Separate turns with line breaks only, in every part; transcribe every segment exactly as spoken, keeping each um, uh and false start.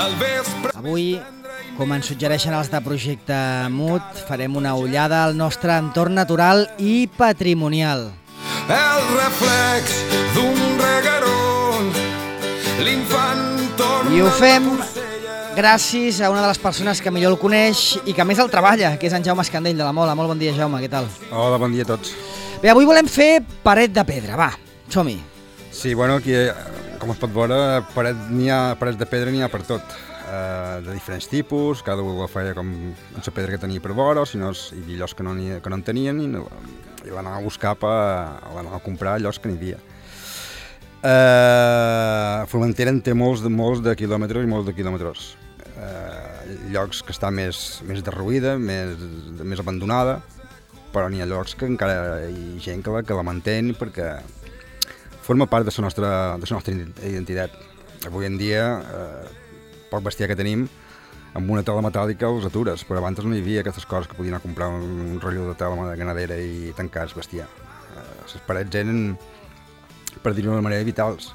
Avui, com ens suggereixen els de Projecte Mut, farem una ullada al nostre entorn natural i patrimonial.
El reflex d'un regueró, l'infant torna...
I ho fem gràcies a una de les persones que millor el coneix i que més el treballa, que és en Jaume Escandell de la Mola. Molt bon dia, Jaume, què tal?
Hola, bon dia a tots.
Bé, avui volem fer paret de pedra, va, som-hi.
Sí, bueno, aquí, com es pot veure, paret, n'hi ha, parets de pedra n'hi ha per tot, uh, de diferents tipus, cada un ho feia com amb la pedra que tenia per vora, o si no, hi havia llocs que no, que no en tenien i, no, i l'anava a buscar, per, l'anava a comprar llocs que n'hi havia. Uh, Formentera en té molts de, molts de quilòmetres i molts de quilòmetres. Uh, llocs que està més, més derruïda, més, més abandonada, però n'hi ha llocs que encara hi ha gent que la, que la mantén perquè forma part de la nostra, de la nostra identitat. Avui en dia, eh, poc bestiar que tenim, amb una tela metàl·lica els atures, però abans no hi havia aquestes coses que podien anar a comprar un, un rotllo de tela ganadera i tancar el bestiar. Eh, les parets eren, per dir-ho d'una manera, vitals.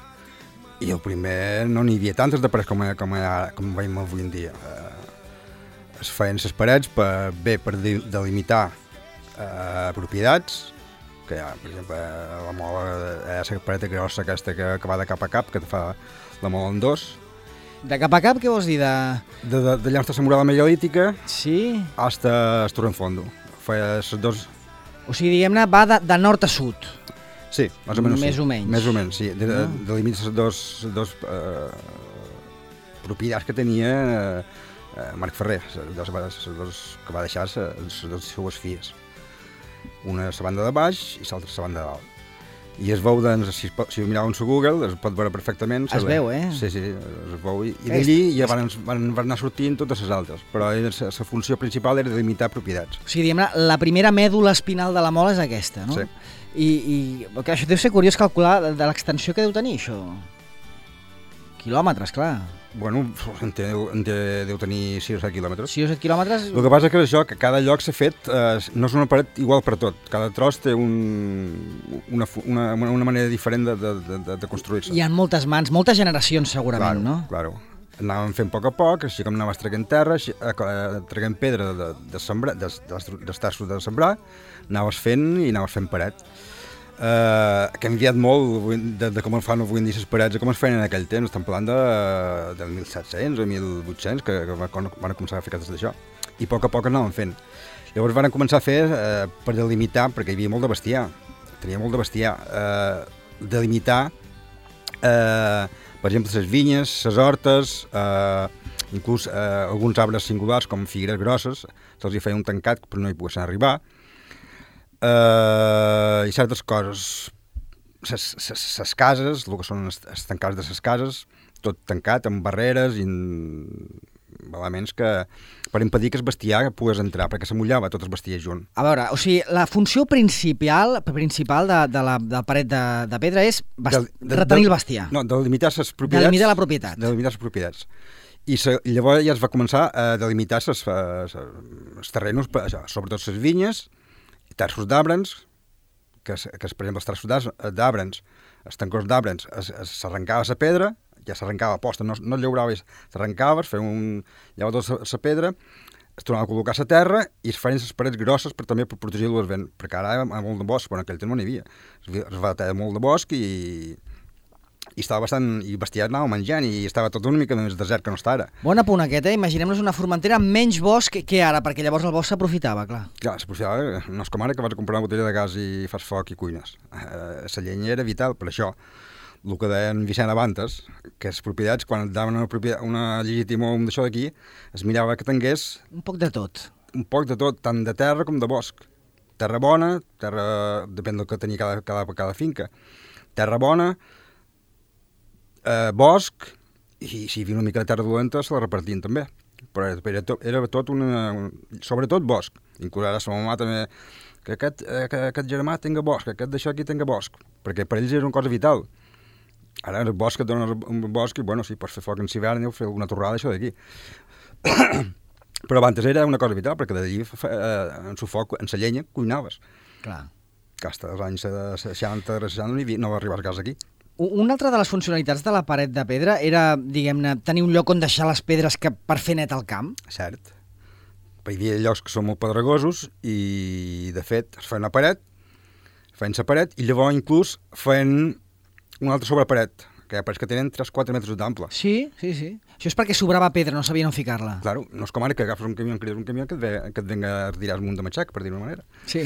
I el primer no n'hi havia tantes de parets com, com, com veiem avui en dia. Eh, es feien les parets per, bé per delimitar eh, propietats, que hi ha, per exemple, la mola, eh, la paret grossa aquesta que, que va de cap a cap, que fa la mola en dos.
De cap a cap, què vols dir? De...
De, de, d'allà on està la muralla megalítica,
sí?
hasta el Torrenfondo. Feia els dos...
O sigui, diguem-ne, va de, de nord a sud.
Sí, més o menys.
Més
sí.
o menys.
Més o menys, sí. De,
no?
de, delimita les dos, dos eh, propietats que tenia eh, Marc Ferrer, les dos, les dos que va deixar les dues seues filles. Una a la banda de baix i l'altra a la banda de dalt. I es veu, doncs, si, si ho mireu en el Google, es pot veure perfectament.
Es veu, eh?
Sí, sí, es veu. I, i d'allí ja van, van, van anar sortint totes les altres, però la funció principal era delimitar propietats.
O sigui, diguem-ne, la primera mèdula espinal de la mola és aquesta, no?
Sí.
I, i que això deu ser curiós calcular de, de l'extensió que deu tenir, això. Quilòmetres, clar.
Bueno, en té, en té, deu tenir sis o set quilòmetres.
sis o set quilòmetres...
El que passa és que això, que cada lloc s'ha fet, eh, no és una paret igual per tot. Cada tros té un, una, una, una manera diferent de, de, de, de construir-se.
Hi ha moltes mans, moltes generacions segurament,
claro,
no?
Claro, anàvem fent a poc a poc, així com anaves traient terra, així, eh, traient pedra de, de sembrar, de, de, dels tassos de sembrar, anaves fent i anaves fent paret. Uh, que ha canviat molt de, de com el fan avui en dia les parets i com es feien en aquell temps. Estem parlant de, de mil set-cents o mil vuit-cents que, que van començar a fer cases d'això i a poc a poc anaven fent. Llavors van començar a fer uh, per delimitar, perquè hi havia molt de bestiar, tenia molt de bestiar, uh, delimitar uh, per exemple les vinyes, les hortes, uh, inclús uh, alguns arbres singulars com figueres grosses, se'ls hi feia un tancat per no hi poguessin arribar. Uh, i certes coses, les cases, el que són els tancats de les cases, tot tancat amb barreres i elements que per impedir que el bestiar pogués entrar, perquè se mullava tot el bestiar junt.
A veure, o sigui, la funció principal principal de, de, la, de la paret de, de pedra és bast... de, de, retenir el bestiar.
No, de delimitar les propietats.
De delimitar la propietat.
De delimitar les propietats. I se, llavors ja es va començar a delimitar els terrenys, sobretot les vinyes, terços d'arbres, que, que per exemple els terços d'arbres, els tancors d'arbres, s'arrencava la pedra, ja s'arrencava a posta, no, no es llaurava, s'arrencava, es feia un... llevava tota la pedra, es tornava a col·locar a la terra i es feien les parets grosses per també per protegir-lo del vent, perquè ara hi ha molt de bosc, però en aquell temps no n'hi havia. Es va tallar molt de bosc i, i estava bastant... i bestiar anava menjant i estava tot una mica més desert que no està ara.
Bon apunt aquest, eh? Imaginem-nos una Formentera amb menys bosc que ara, perquè llavors el bosc s'aprofitava, clar.
Clar, s'aprofitava, no és com ara que vas a comprar una botella de gas i fas foc i cuines. Eh, la llenya era vital per això. El que deia en Vicent Abantes, que les propietats, quan et daven una, una legitimó d'això d'aquí, es mirava que tingués...
Un poc de tot.
Un poc de tot, tant de terra com de bosc. Terra bona, terra... depèn del que tenia cada, cada, cada finca. Terra bona, eh, bosc, i si hi havia una mica de terra dolenta se la repartien també. Però era tot, era tot una... sobretot bosc. Inclús ara la mamà també... que aquest, que aquest germà tinga bosc, que aquest d'això aquí tinga bosc. Perquè per ells era una cosa vital. Ara el bosc et dona un bosc i, bueno, sí, pots fer foc en hivern o fer alguna torrada, això d'aquí. Però abans era una cosa vital, perquè d'allí, eh, en su foc, en la llenya, cuinaves.
Clar.
Que fins als anys seixanta, seixanta no, no va arribar el gas aquí.
Una altra de les funcionalitats de la paret de pedra era, diguem-ne, tenir un lloc on deixar les pedres que per fer net al camp?
Cert. Hi havia llocs que són molt pedregosos i, de fet, es feien una paret, feien la paret i llavors inclús feien una altra sobreparet, que hi ha parets que tenen tres o quatre metres d'ample.
Sí, sí, sí. Això és perquè sobrava pedra, no sabien on ficar-la.
Claro, no és com ara que agafes un camió, crides un camió que et, ve, que et venga a retirar un munt de matxac, per dir-ho d'una manera.
Sí.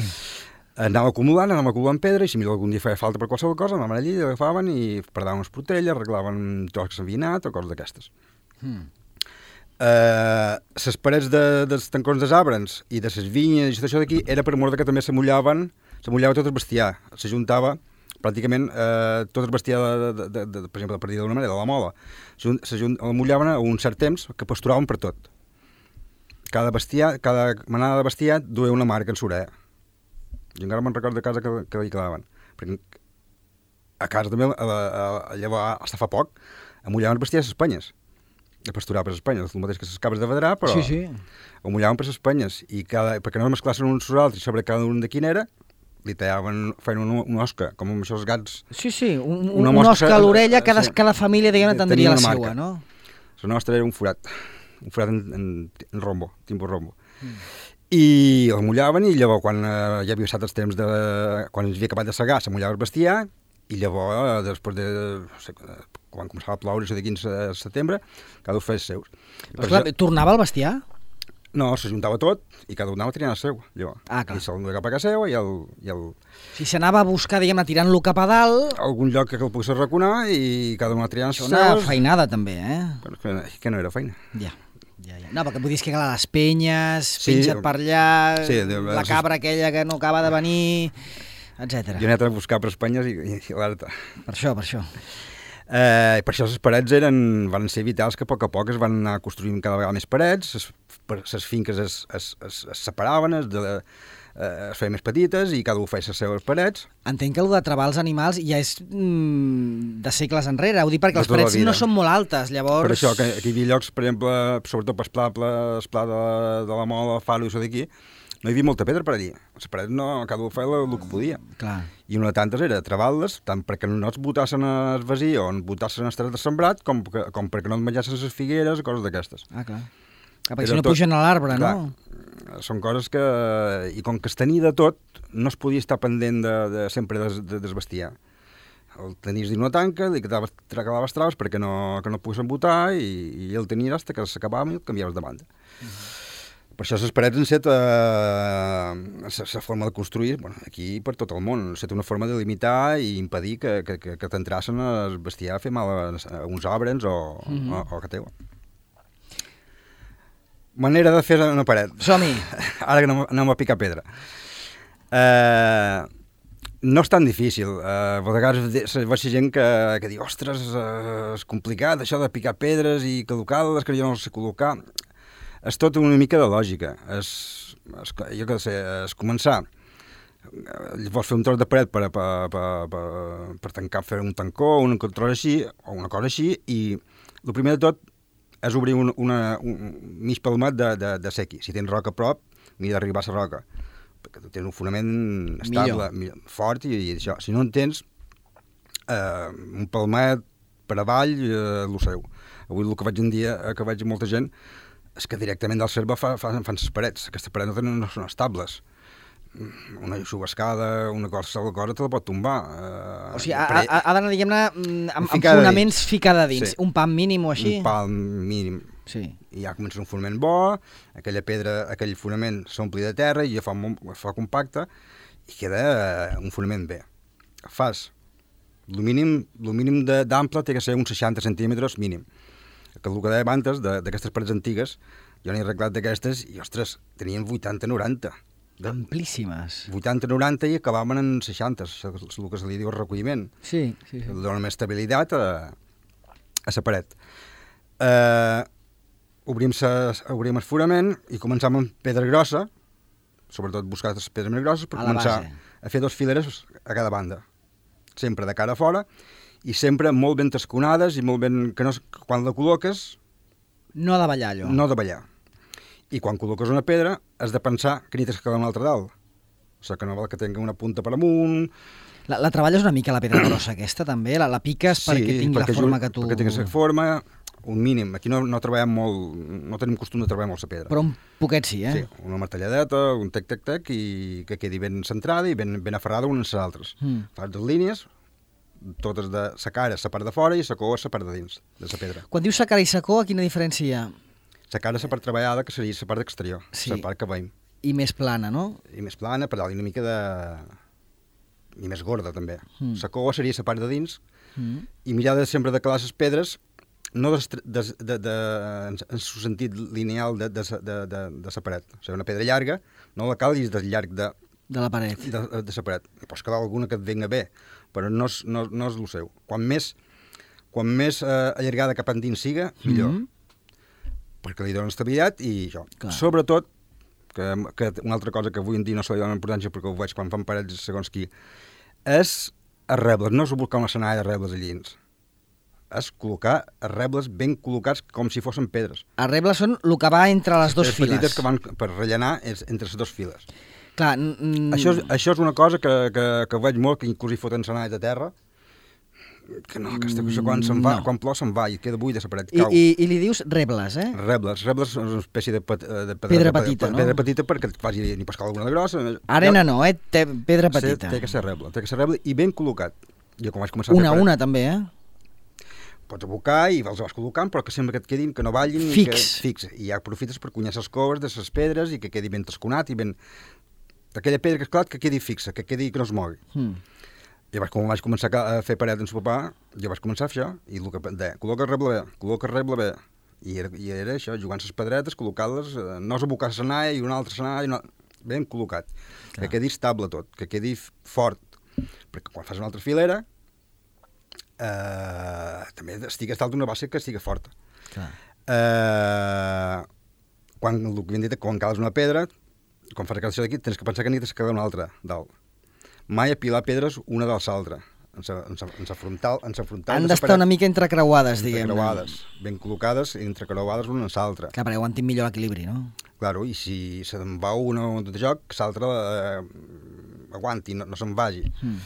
Anàvem acumulant, anàvem acumulant pedra i si mira algun dia feia falta per qualsevol cosa, anàvem allí, agafaven i perdaven unes portelles, arreglaven trocs que s'havien anat o coses d'aquestes.
Mm.
Uh, les parets de, dels tancons dels arbres i de les vinyes i tot això d'aquí era per mort que també s'amullaven, s'amullava tot el bestiar, s'ajuntava pràcticament eh, tot el bestiar, de, de, de, de, per exemple, per dir d'una manera, de la mola, s'amullaven a un cert temps que pasturaven per tot. Cada bestiar, cada manada de bestiar duia una marca en l'orella. Jo encara me'n recordo de casa que, que hi quedaven. Perquè a casa també, a, a, a, llavors, fins fa poc, amullaven els bestiars a les penyes. A pasturar per les penyes, el mateix que les cabres de vedrà, però
sí, sí.
amullaven per les penyes. I cada, perquè no es mesclassin uns als altres sobre cada un de quin era, li tallaven, feien una, una osca, com amb això els gats.
Sí, sí, un, un, una osca a l'orella, cada, sí. cada família, diguem-ne, tindria la seva, no?
La nostra era un forat, un forat en, en, en rombo, tipus rombo. Mm. I el mullaven i llavors, quan eh, ja havia passat els temps de... quan ens havia acabat de segar, s'amullava el bestiar i llavors, eh, després de... No sé, quan començava a ploure, això de quinze de setembre, cada un feia els seus.
Però clar, això... tornava el bestiar?
No, s'ajuntava tot i cada un anava tirant el seu, llavors.
Ah, clar.
I se'l duia cap a casa seva i el... I el...
Si s'anava a buscar, diguem-ne, tirant-lo cap a dalt...
Algun lloc que el pogués arraconar i cada un anava tirant els seus.
Una feinada, també, eh?
Però que, que no era feina.
Ja. Ja, ja. No, perquè vull dir que a les penyes,
sí,
penja't per allà, sí, de, la cabra aquella que no acaba de venir, etcètera.
Jo he anat a buscar per Espanyes i, i, i l'alerta.
Per això, per això.
Eh, per això les parets eren, van ser vitals que a poc a poc es van anar construint cada vegada més parets, les finques es, es, es, es separaven, es, de, eh, es feien més petites i cada un feia les seves parets.
Entenc que el de travar els animals ja és mm, de segles enrere, ho dic perquè les parets no són molt altes, llavors...
Per això, que aquí hi havia llocs, per exemple, sobretot per Esplà, el Pla de, de la Mola, Faro i això d'aquí, no hi havia molta pedra per allí. Les parets no, cada un feia el, el que podia.
Clar.
I una de tantes era travar-les, tant perquè no es botassin al vesí o en botassin al terra de sembrat, com, que, com perquè no et menjassin les figueres o coses d'aquestes.
Ah, clar. Ah, perquè si no tot, pugen a l'arbre, no?
Són coses que... I com que es tenia de tot, no es podia estar pendent de, de sempre des, de, desbestiar. El tenies dins una tanca, li quedaves, tracalaves traves perquè no, que no poguessin botar i, i el tenies fins que s'acabava i el canviaves de banda. Uh-huh. Per això les parets han estat la forma de construir, bueno, aquí per tot el món, ha estat una forma de limitar i impedir que, que, que, que t'entrassin a bestiar a fer mal a, a uns arbres o, mm-hmm. o, o que teu. Manera de fer una paret.
Som-hi!
Ara que anem, anem a picar pedra. Eh, no és tan difícil. Eh, a vegades veig gent que, que diu, ostres, eh, és complicat això de picar pedres i col·locar-les, que jo no sé col·locar. És tot una mica de lògica. És, és, jo què sé, és començar. Vols fer un tros de paret per, per, per, per, per tancar, fer un tancó, un tros així, o una cosa així, i el primer de tot és obrir un, una, un mig palmat de, de, de sequi. Si tens roca a prop, mira d'arribar a la roca, perquè tu tens un fonament estable, millor. Fort, i, i això. Si no en tens, eh, un palmat per avall, eh, el seu. Avui el que vaig un dia, que vaig molta gent, és que directament del cercle fa, fa, fan les parets. Aquestes parets no, no són estables. Una subescada, una cosa, una cosa te la pot tombar.
Uh, o sigui, ha, ha, ha d'anar, diguem-ne, amb, amb fonaments dins. Ficada dins. Sí. Un pam mínim o així?
Un pam mínim.
Sí.
I ja comença un fonament bo, aquella pedra, aquell fonament s'ompli de terra i ja fa, fa compacte i queda un fonament bé. Fas, el mínim, el mínim d'ample té que ser uns seixanta centímetres mínim. Que el que deia abans d'aquestes parets antigues, jo n'he arreglat d'aquestes i, ostres, tenien vuitanta noranta.
Amplíssimes.
vuitanta noranta i acabaven en seixanta, això és el que se li diu el recolliment.
Sí, sí, sí.
Dona més estabilitat a, a la paret. Eh, obrim, sa, obrim el fonament i començam amb pedra grossa, sobretot buscar les pedres més grosses, per
a
començar a fer dos fileres a cada banda. Sempre de cara a fora, i sempre molt ben tasconades i molt ben... que no, quan la col·loques...
No ha de ballar, allò.
No ha de ballar. I quan col·loques una pedra has de pensar que n'hi tens que quedar una altra dalt. O sigui, que no val que tingui una punta per amunt.
La, la treballes una mica la pedra grossa aquesta, també? La, la piques
Sí,
perquè tingui la
perquè
forma
ju-
que tu...
perquè tingui la forma, un mínim. Aquí no, no treballem molt, no tenim costum de treballar molt la pedra.
Però un poquet sí, eh?
Sí, una martelladeta, un tec-tec-tec, i que quedi ben centrada i ben, ben aferrada unes a les altres.
Mm.
Fas dues línies, totes de la cara, la part de fora, i la cua, la part de dins, de la pedra.
Quan dius sacara i sacó, quina diferència hi ha?
La cara, la part treballada, que seria la part exterior,
Sí.
la part que veiem.
I més plana, no?
I més plana, per dalt, i una mica de... i més gorda, també.
Mm.
La cua seria la part de dins,
Mm.
i mirar de sempre de calar les pedres, no de, de, de, de, en, en el sentit lineal de, de, de, de, de la paret. O sigui, una pedra llarga, no la calis del llarg de,
De la paret.
de, de la paret. I pots quedar alguna que et venga bé, però no és, no, no és el seu. Quan més, quan més eh, allargada cap endins siga, millor.
Mm.
Perquè li dona estabilitat i això.
Clar.
Sobretot, que, que una altra cosa que avui en dia no se li dona importància perquè ho veig quan fan parets segons qui, és arrebles, no és buscar una senalla d'arrebles allí dins. És col·locar arrebles ben col·locats com si fossin pedres.
Arrebles són el que va entre les dues
Les
files.
petites que van per rellenar és entre les dues files.
Clar, mm,
Això, és, això és una cosa que, que, que veig molt, que inclús hi foten senalles de terra, que no, aquesta cosa quan se'n va,
No.
quan plou se'n va i queda buida la paret,
I,
cau.
i, I li dius rebles, eh?
Rebles, rebles són una espècie de, pet, de pedra,
Pedra
de,
petita,
de,
no?
pedra petita perquè et faci ni pescar alguna de grossa.
Arena no, eh? Té pedra petita.
Té que ser reble, té que ser reble i ben col·locat. Jo quan vaig començar
Una
a
a
fer
una, també, eh?
pots abocar i els vas col·locant, però que sempre que et quedin, que no ballin.
Fix.
I que, fix. I ja aprofites per cunyar les coves de les pedres i que quedi ben tasconat i ben... Aquella pedra que, esclat, que quedi fixa, que quedi que no es mogui.
Mm.
Llavors, quan vaig començar a fer paret amb el papà, jo vaig començar a fer això, i el que deia, col·loca el reble bé, col·loca el reble bé. I era, i era això, jugant les pedretes, col·locar-les, eh, no és abocar la senalla i una altra senalla, no, ben col·locat.
Clar.
Que quedi estable tot, que quedi fort. Perquè quan fas una altra filera, eh, també estigues dalt d'una base que estigui forta.
Clar.
Eh, quan, el que havien dit, quan cales una pedra, quan fas això d'aquí, tens que pensar que n'hi has de quedar una altra dalt. Mai apilar pedres una de l'altra. En sa, en sa, en sa frontal, en sa frontal
Han
de sa
d'estar
paret,
una mica entrecreuades, diguem-ne.
entrecreuades, ben col·locades i entrecreuades una en l'altra.
Clar, perquè aguantin millor l'equilibri, no?
Claro, i si se'n va una de joc, l'altra eh, aguanti, no, no se'n vagi.
Mm.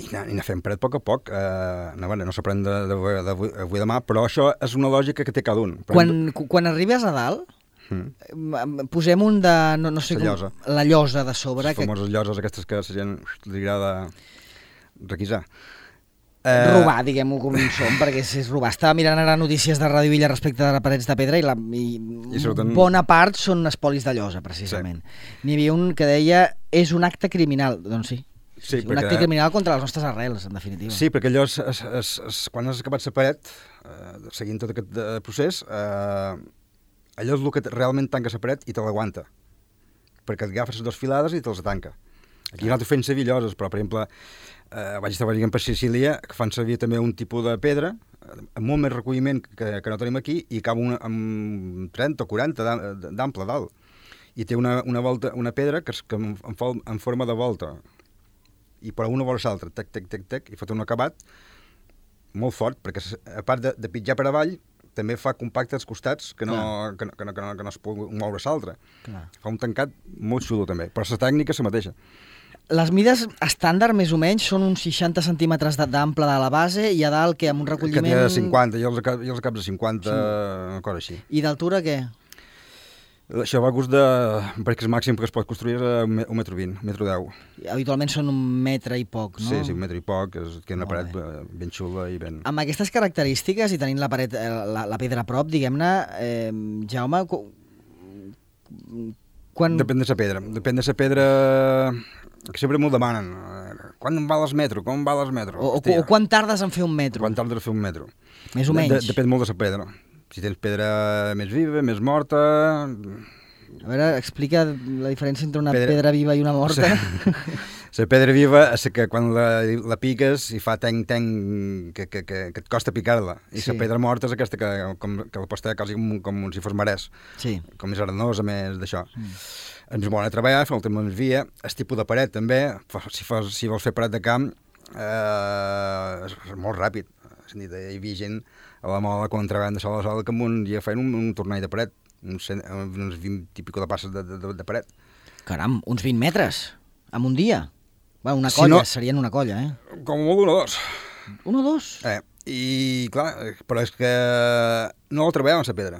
I anar, i anar fent paret a poc a poc. Eh, no, bueno, no s'aprèn d'avui de, de, de demà, però això és una lògica que té cada un. Per
Quan, cu- quan arribes a dalt,
Mm.
em- posem un de... No, no sé
La
com,
llosa.
La llosa de sobre.
Les
Que,
famoses lloses aquestes que la gent li agrada requisar.
robar, diguem-ho com som, perquè si és robar. Estava mirant ara notícies de Ràdio Villa respecte de les parets de pedra i, la, i,
I surten-
bona part són espolis de llosa, precisament. N'hi havia un que deia és un acte criminal. Doncs sí.
Sí,
un
perquè-
acte criminal contra les nostres arrels, en definitiva.
Sí, perquè allò, és, és, és, és, quan has acabat la paret, eh, seguint tot aquest eh, procés, eh, allò és el que realment tanca la paret i te l'aguanta. Perquè et agafes les dues filades i te'ls tanca. Aquí nosaltres fem servir lloses, però, per exemple, eh, vaig estar veient per Sicília, que fan servir també un tipus de pedra, eh, amb molt més recolliment que, que no tenim aquí, i acaba una, amb trenta o quaranta d'am- d'ample dalt. I té una, una, volta, una pedra que, és, que en, en, fol- en forma de volta, i per una vora l'altra, tec, tec, tec, tec, i fot un acabat molt fort, perquè a part de, de pitjar per avall, també fa compacte als costats, que no, que no, que no, que no, que no es pugui moure l'altre.
Clar.
Fa un tancat molt xulo, també, però la tècnica és la mateixa.
Les mides estàndard, més o menys, són uns seixanta centímetres de- d'ample de la base i a dalt, que amb un
Que
recolliment...
té de cinquanta, i els, acabs, i els acabs de cinquanta, sí. Una cosa així.
I d'altura, què?
Això va a gust de... perquè el màxim que es pot construir és un me- un metro vint, un metro deu.
Habitualment són un metre i poc, no?
Sí, sí, un metre i poc, és, que una
Molt
paret
bé.
eh, ben xula i ben...
Amb aquestes característiques i tenint la, paret, eh, la, la pedra a prop, diguem-ne, eh, Jaume, qu- quan...
Depèn de la pedra. Depèn de la pedra... que sempre m'ho demanen. eh, Quan em val el metro? Com em val el metro?
O, o,
Hòstia,
o quan tardes en fer un metro?
Quan tarda a fer un metro?
Més o
De-
menys.
De, depèn molt de la pedra. Si tens pedra més viva, més morta...
A veure, explica la diferència entre una pedra,
Pedra-
pedra viva i una morta.
La pedra viva és que quan la, la piques i fa tenc-tenc que, que, que, que et costa picar-la. I
Sí.
la pedra morta és aquesta que, com, que la pots tenir quasi com, com si fos marès,
Sí.
com més arenosa, més d'això. Mm. Ens bona a treballar, fa el temps més via, el tipus de paret també, fa- si, fos, si vols fer paret de camp, eh, és molt ràpid. És a dir, hi havia gent a la moda quan treballaven de sol a sol que amb un dia feien un, un tornell de paret, uns, cent, uns vint i pico de passes de, de, de paret.
Caram, uns vint metres. En un dia? Va, una
Si
colla,
no-
serien una colla, eh?
Com molt un o dos.
Un o dos?
Eh, I, clar, eh, però és que no el treballaven, la pedra.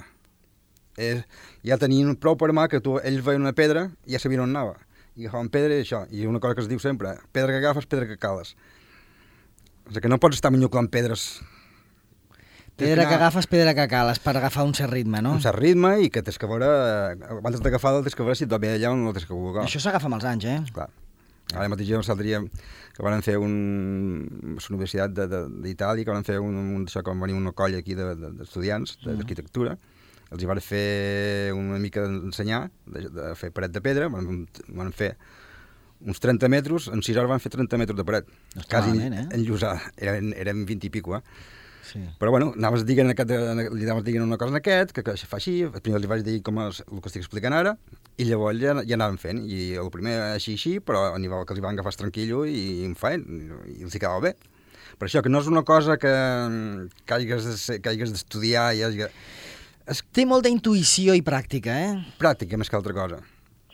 És, ja tenien prou per mà que tu, ells veien una pedra i ja sabien on anava. I agafaven pedra i això. I una cosa que es diu sempre, pedra que agafes, pedra que cales. O sigui que no pots estar minyoclant pedres.
Pedra que agafes, pedra que cales, per agafar un cert ritme, no?
Un cert ritme i que tens que veure, eh, abans d'agafar-la tens que veure si et va bé allà on no tens que col·locar.
Això s'agafa amb els anys, eh?
Clar. Ara mateix jo l'altre dia que van fer un... la Universitat de- de- d'Itàlia, que van fer un, un, això, que van venir una colla aquí de- de- d'estudiants de, d'arquitectura, els hi van fer una mica d'ensenyar, de, de fer paret de pedra, van, van fer uns trenta metres, en sis hores van fer trenta metres de paret.
No està
Quasi
malament, eh?
enllosada, eren, eren vint i pico, eh?
Sí.
Però bueno, anaves dient, aquest, li anaves dient una cosa en aquest, que, que això fa així, primer li vaig dir com es, el que estic explicant ara, i llavors ja, ja anaven fent, i el primer així així, però a nivell que els hi van agafar tranquil·lo i, i en feien, i, i els hi quedava bé. Per això, que no és una cosa que, que hagis de ser- que hagis d'estudiar, i hagi... és
Té molta intuïció i pràctica, eh?
pràctica més que altra cosa.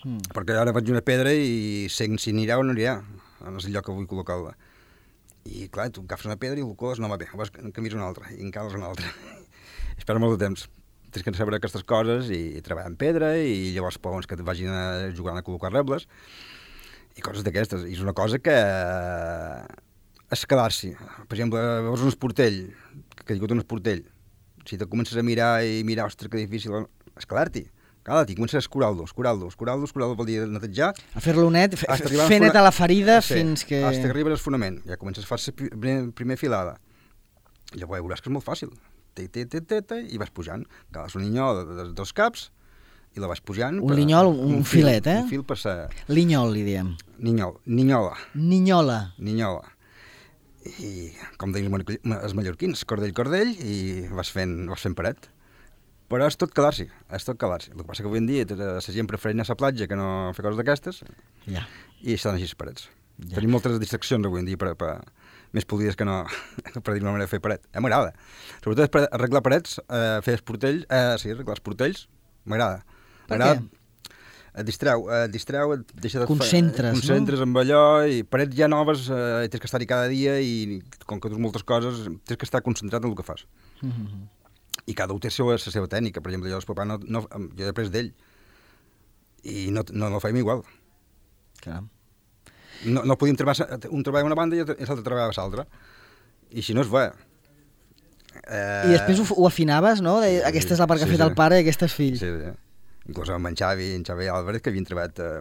Mm.
Perquè ara faig una pedra i sé si anirà o no anirà, en el lloc que vull col·locar-la. I clar, tu agafes una pedra i el coles, no va bé, vas canvies una altra, i encales una altra. Espera molt de temps. Tens que saber aquestes coses i, i treballar en pedra, i llavors pots que et vagin a jugar a col·locar rebles, i coses d'aquestes. I és una cosa que és quedar-s'hi. Per exemple, veus un esportell, que ha caigut un esportell, si te comences a mirar i mirar, ostres, que difícil, és quedar-t'hi. Quedar-t'hi, comences a escurar-lo, escurar-lo, escurar-lo, escurar-lo vol dir netejar,
A fer-lo net, f-
Has d'arribar al
fer net
fona-
a la ferida
sí,
fins que...
Fins que arribes al fonament. Ja comences a fer la primer, primer filada. I llavors veuràs que és molt fàcil. Té, té, té, té, té, i vas pujant. Cales un linyol de, de, dos caps i la vas pujant.
Un linyol, un, un
fil,
filet, eh?
Un fil per ser...
Linyol, li diem.
Ninyol, ninyola,
Ninyola.
ninyola. I, com deien els ma- els mallorquins, cordell, cordell, i vas fent, vas fent paret. Però és tot quedar-s'hi, és tot quedar-s'hi. El que passa que avui en dia tota la gent prefereix anar a la platja que no fer coses d'aquestes,
Ja.
i estan així les parets.
Ja.
Ja. Tenim moltes distraccions avui en dia per, per, més polides que no, per dir una manera de fer paret. Eh, m'agrada. Sobretot per arreglar parets, eh, fer esportells, eh, sí, arreglar esportells, m'agrada.
Per
M'agrada.
què?
Et distreu, et distreu, et deixa de
Concentres, no?
concentres amb allò, i parets ja noves, eh, tens que estar-hi cada dia, i com que tens moltes coses, tens que estar concentrat en el que fas.
Mm -hmm.
I cada un té la seva, la seva tècnica. Per exemple, jo el papà no, no, jo he après d'ell, i no, no, no ho fèiem igual.
Caram.
No, no podíem treballar, un treballa una banda i l'altre treballava l'altra. I si no es va. Eh,
I després ho, ho afinaves, no? De,
sí,
aquesta és la part que
sí,
ha fet
sí.
el pare i aquesta és fill.
Sí, sí. Inclús amb en Xavi, en Xavi Álvarez, que havien treballat eh,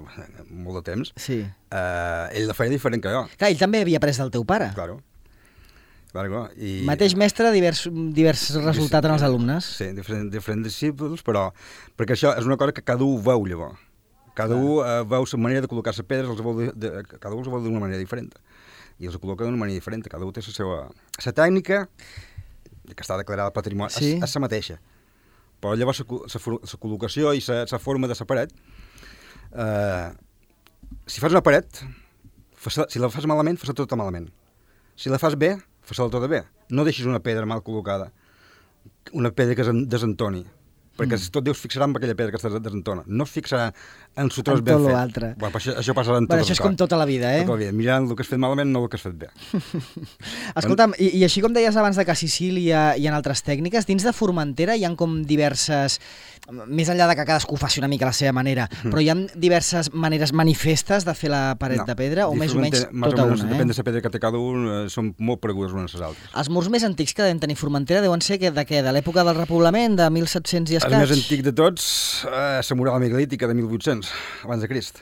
molt de temps,
Sí.
eh, ell la feia diferent que jo.
Clar, ell també havia après del teu pare.
Claro. Claro, clar. I...
Mateix mestre, divers, divers resultat en els alumnes.
Sí, diferents, diferents discípuls, però perquè això és una cosa que cada un veu llavors. Cada un eh, veu la manera de col·locar les pedres, els veu de, de, cada un els veu d'una manera diferent. I els col·loca d'una manera diferent, cada un té la seva... La tècnica, que està declarada al patrimoni,
Sí.
és, és la mateixa. Però llavors la col·locació i la forma de la paret, eh, si fas una paret, fas, si la fas malament, fas-la tota malament. Si la fas bé, fas-la tota bé. No deixis una pedra mal col·locada, una pedra que es desentoni, perquè mm. tot Déu es fixarà en aquella pedra que es desentona. No es fixarà en su tros
En
ben
tot
fet.
l'altre.
Bueno, això, això passarà en tot
Bueno,
el
això és com tota la vida, eh?
Tota la vida. Mirant el que has fet malament, no el que has fet bé.
Escolta'm, i, i així com deies abans de que a Sicília hi ha altres tècniques, dins de Formentera hi ha com diverses, més enllà de que cadascú faci una mica a la seva manera, mm. però hi ha diverses maneres manifestes de fer la paret
No.
de pedra, o més o menys
Més
tota
o menys,
una,
depèn
eh?
de la pedra que té cada un, eh, són molt paregudes unes a les altres.
Els murs més antics que devem tenir Formentera deuen ser que, de què? De l'època del repoblament, de mil set-cents i escaig?
El més antic de tots, eh, la mural megalítica de mil vuit-cents, abans de Crist.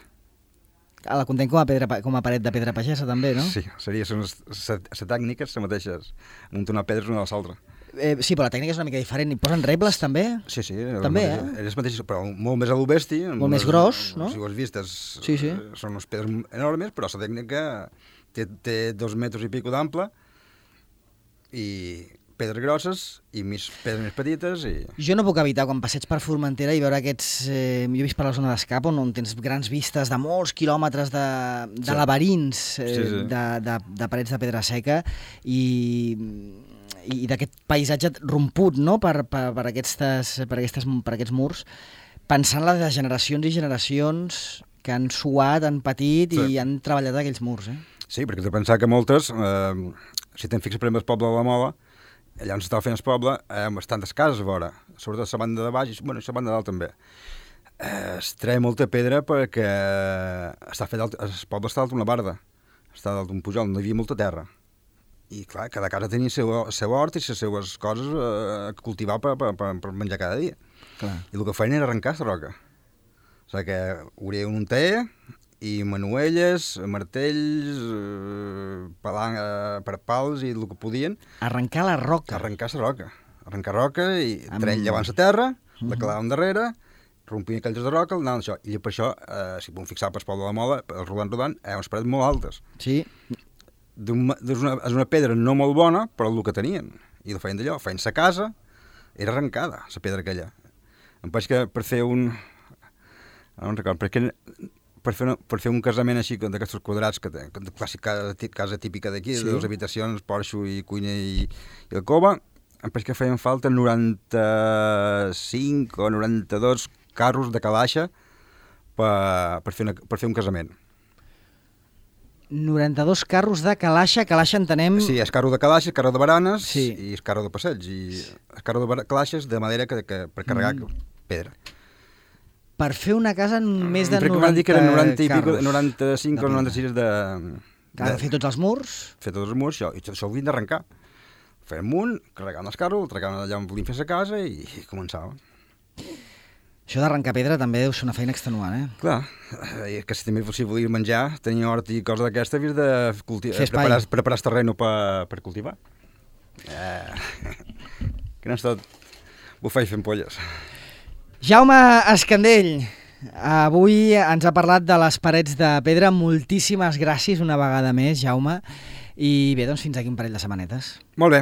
Ah, la contem com a, pedra, pa- com a paret de pedra pagesa, també, no?
Sí, seria les tècniques, les mateixes, muntar pedres una a l'altra.
Eh, sí, però la tècnica és una mica diferent. Hi posen rebles, també?
Sí, sí.
També,
eh? És mateix, però molt més a l'obesti.
Molt més gros, no?
Si ho has vist, és,
Sí, sí.
eh, són unes pedres enormes, però la tècnica té, té dos metres i pico d'ample, i pedres grosses i més pedres més petites. I...
Jo no puc evitar, quan passeig per Formentera i veure aquests... Eh, jo he vist per la zona d'Escap, on, on tens grans vistes de molts quilòmetres de, de
Sí.
laberints eh,
Sí, sí.
De, de, de parets de pedra seca i, i d'aquest paisatge romput, no?, per, per, per, aquestes, per, aquestes, per aquests murs, pensant-la de generacions i generacions que han suat, han patit
Sí.
i han treballat aquells murs, eh?
Sí, perquè has de pensar que moltes, eh, si te'n fixes per exemple el poble de la Mola, allà on s'estava fent el poble, eh, amb bastantes cases a vora, sobretot la banda de baix i bueno, la banda de dalt també. Eh, es treia molta pedra perquè està fet alt, el poble està dalt d'una barda, està dalt d'un pujol, no hi havia molta terra. I clar, cada casa tenia el seu, el seu hort i les seues coses eh, a cultivar per, per, per, per menjar cada dia.
Clar.
I el que feien era arrencar la roca. O sigui que obrien un taller i manuelles, martells, eh, palang, eh, per pals i el que podien.
Arrencar la roca.
Arrencar la roca. Arrencar roca i
Amb...
treien llevant la terra, uh-huh. la clavaven darrere, rompien aquells de roca, anaven això. I per això, eh, si podem fixar pel poble de la Mola, el rodant rodant, hi ha unes parets molt altes.
Sí.
Un, és, una, és una pedra no molt bona, però el que tenien. I el feien d'allò, feien la casa, era arrencada, la pedra aquella. Em penso que per fer un... No em recordo, perquè per fer, una, per fer un casament així d'aquests quadrats, que té, de clàssica casa, casa típica d'aquí, sí. de dues habitacions, porxo i cuina i, i alcova, em penso que feien falta noranta-cinc o noranta-dos carros de calaix per, per, fer una, per fer un casament.
noranta-dos carros de calaix, calaix entenem...
Sí, és carro de calaix, carro de baranes
sí.
i és carro de passeig. I és carro de calaixes de madera que, que, per carregar mm. pedra.
Per fer una casa en més de
noranta
noranta
dir que eren noranta i pico,
carros.
noranta-cinc o noranta-sis de...
Que ha de fer tots els murs.
Fer tots els murs, això, i això ho havien d'arrencar. Feien amunt, carregaven els carros, el tregaven allà on volien fer la casa i, i començaven.
Això d'arrencar pedra també deu ser una feina extenuant, eh?
Clar, eh, que si també si volia menjar, tenir hort i coses d'aquesta, havies de culti- preparar, preparar el terreno per, per cultivar. Eh, que no és tot bufar i fent polles.
Jaume Escandell, avui ens ha parlat de les parets de pedra. Moltíssimes gràcies una vegada més, Jaume. I bé, doncs fins aquí un parell de setmanetes.
Molt bé.